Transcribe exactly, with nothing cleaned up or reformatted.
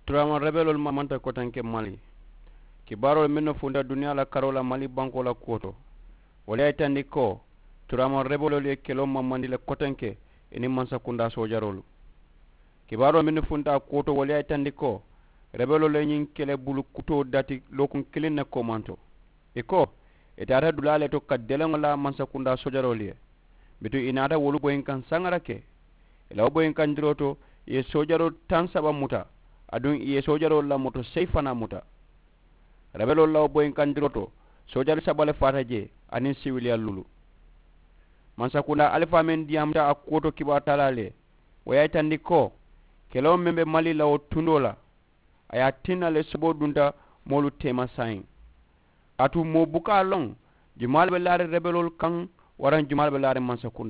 Turaamaŋ rebeloolu mamanta kotenke mali. Kibaaroolu mennu funta duniyaa la karoo la mali bankoo la kuwo to, wolu ye a yitandi ko turaamaŋ rebeloolu ye keloo mamandi le kotenke i niŋ mansakundaa soojaroolu. Kibaaroolu mennu funta a kuwo to wolu ye a yitandi ko rebeloolu ye ñiŋ kele bulu kutoo dati lookuŋ kiliŋ ne koomanto. I ko i taata dulaa le to ka deleŋo la mansakundaa soojaroolu ye. Bituŋ i naata wolu boyinkaŋ saŋara ke. I la wo boyinkandiroo to i ye soojaroo taŋ saba muta, aduŋ i ye soojaroo la moto seyi fanaa muta. Rebeloolu la wo boyinkandiroo to soojari saba le faata jee aniŋ siwiliya luulu. Mansakundaa alifaa meŋ diyaamuta a kuwo to kibaaru taalaalu ye, wo ye a yitandi ko keloo meŋ be mali la wo tundoo la, a ye a tinna le soboo dunta moolu teema saayiŋ. Kaatu moo buka a loŋ jumaa le be laariŋ rebeloolu kaŋ waraŋ jumaa le be laariŋ mansakundaa.